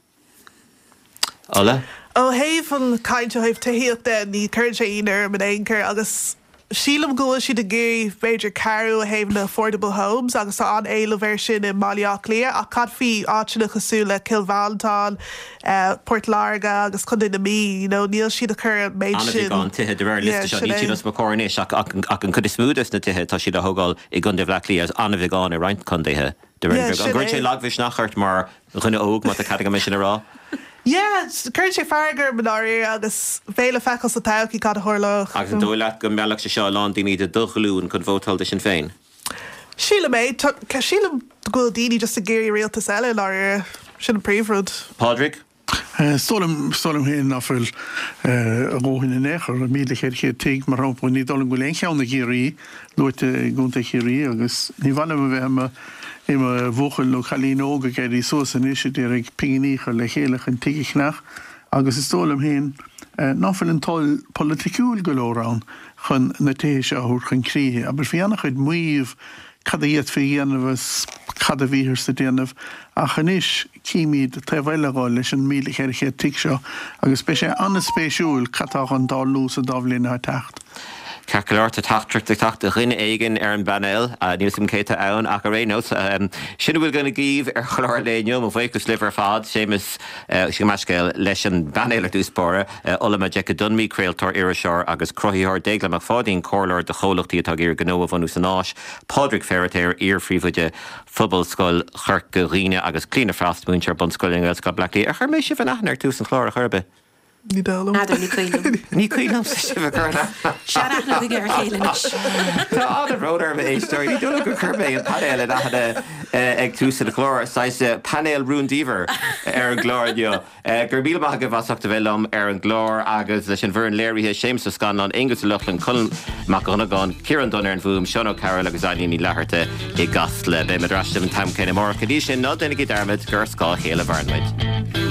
Ola? Ó thaobh an chaint ó thaobh tithíocht de, ní chuireann sé ionadh orm in aon chor agus sílim go bhfuil siad ag iarraidh b'fhéidir cabhrú ó thaobh na affordable homes agus tá an-éileamh air sin i mBaile Átha Cliath ach cad faoi áiteanna cosúil le Cill Mhantáin, Port Láirge agus Contae na Mí, you know, níl siad ag cur an méid sin. An-bheagán tithe de réir an liosta seo, níl siad os mo chomhair anois ach ach an chuid is mó des na tithe tá siad á thógáil i gContae Bhaile Átha Cliath agus an-bheagán i roinnt contaetha de réir na An gcuireann sé lagmhisneach ort mar dhuine óg má tá cead agam é sin a rá? Yeah, cuireann sé fearg orm i ndáiríre agus beidh le feiceáil sa todhchaí cad a tharlóidh. Agus an dóigh leat go meallfadh sé seo a lán daoine de do ghlúin chun vótáil do Sinn Féin? Sílim é. Sílim go bhfuil daoine just ag iarraidh rialtas eile i ndáiríre. Sin an príomhrud. Pádraig? Is dóigh liom, is dóigh liom féin ná fuil a dhóthain in aon chor. Míle ceithre chéad tigh, mar shampla, ní dóigh liom go bhfuil aon cheann i gCiarraí luaite i gContae Chiarraí agus ní mhaith liom a bheith i mo I mo bhuachaill nó cailín óg ag éirí suas anois a d'iarraidh pinginí a chur le chéile chun tigh a cheannach agus is dóigh liom féin ná fuil an toil polaiticiúil go leor ann chun na tithe seo a thabhairt chun críche. Abair, bhí an-chuid maíomh cad a d'fhéadfaí a dhéanamh is cad a bhíothas ag déanamh ach anois címid taobh eile dhó leis an míle ceithre chéad tigh seo agus beidh sé an-spéisiúil cad tá chun tarlú sa dá bhliain atá ag teacht. Ceart go leor, tá teachtaireacht ag teacht ó dhuine éigin ar an bpainéal, níl 'fhios agam cé atá ann ach ar aon nós, sin a bhfuil againn daoibh ar chlár an lae inniu. Mo bhuíochas libh ar fad, Séamus, gabh mo leithscéal, leis an bpainéal ar dtús báire, Ola Majekodunmi, craoltóir, iriseoir agus cruthaitheoir, Déaglán Mac Pháidín, comhairleoir do chomhlachtaí atá ag iarraidh gnó a bhunú san Áis, Pádraig Feiritéar, iar-phríomhoide Phobalscoil Chorca Dhuibhne agus Clíona Frost, múinteoir bunscoile i nGaelscoil Bhaile Átha Cliath. Ar chuir mé sibh in aithne ar tús an chláir ar chor ar bith? Ní dóigh liom. N'fheadar, ní cuimhin liom. Ní cuimhin liomsa sibh a chur in aithne. Seanaithne againn ar a chéile anois. Tá an-bhrón orm, a éisteoirí. Ní dóigh liom gur chuir mé an painéal in aithne ag tús an chláir. Saghas painéal rúndiamhair ar an gclár inniu. Go raibh míle maith agaibh as ucht a bheith liom ar an gclár agus leis an bhfoireann léirithe, Séamus Ó Scanláin, Aonghus Ó Lochlainn, Colm Mac Dhonnagáin, Ciarán Dunne ar an bhfuaim, Seán Ó Cearúil agus Eileen Ní Fhlatharta i gCasla. Beidh muid ar ais libh an t-am céanna amárach. Go dtí sin, ná déanaigí dearmad gur ar scáth a chéile a mhaireann muid.